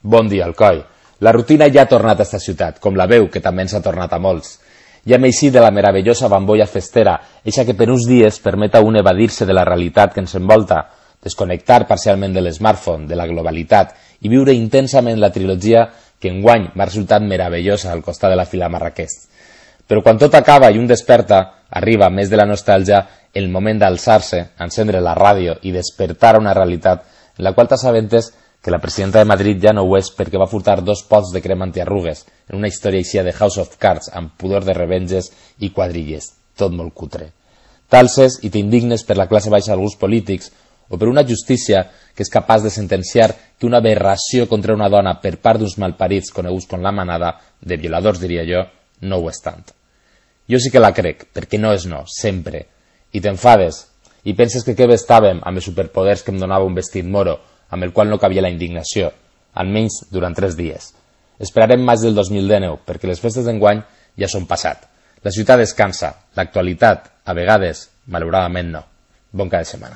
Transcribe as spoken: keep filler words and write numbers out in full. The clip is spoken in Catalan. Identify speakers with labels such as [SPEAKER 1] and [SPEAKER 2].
[SPEAKER 1] Bon dia, Alcoi. La rutina ja ha tornat a esta ciutat, com la veu, que també ens ha tornat a molts. Ja hem eixit de la meravellosa bambolla festera, eixa que per uns dies permet a un evadir-se de la realitat que ens envolta, desconnectar parcialment de l'smartphone, de la globalitat, i viure intensament la trilogia que enguany m'ha resultat meravellosa al costat de la fila Marrakeix. Però quan tot acaba i un desperta, arriba, més de la nostàlgia, el moment d'alçar-se, encendre la ràdio i despertar a una realitat en la qual t'assabentes que la presidenta de Madrid ja no ho és perquè va furtar dos pots de crema antiarrugues en una història així de House of Cards amb pudor de revenges i quadrilles, tot molt cutre. T'alces i t'indignes per la classe baixa d'alguns polítics o per una justícia que és capaç de sentenciar que una aberració contra una dona per part d'uns malparits coneguts com la manada, de violadors diria jo, no ho és tant. Jo sí que la crec, perquè no és no, sempre. I t'enfades, i penses que què bé estàvem amb els superpoders que em donava un vestit moro, amb el qual no cabia la indignació, almenys durant tres dies. Esperarem maig del dos mil dinou, perquè les festes d'enguany ja són passat. La ciutat descansa, l'actualitat, a vegades, malauradament no. Bon cap de setmana.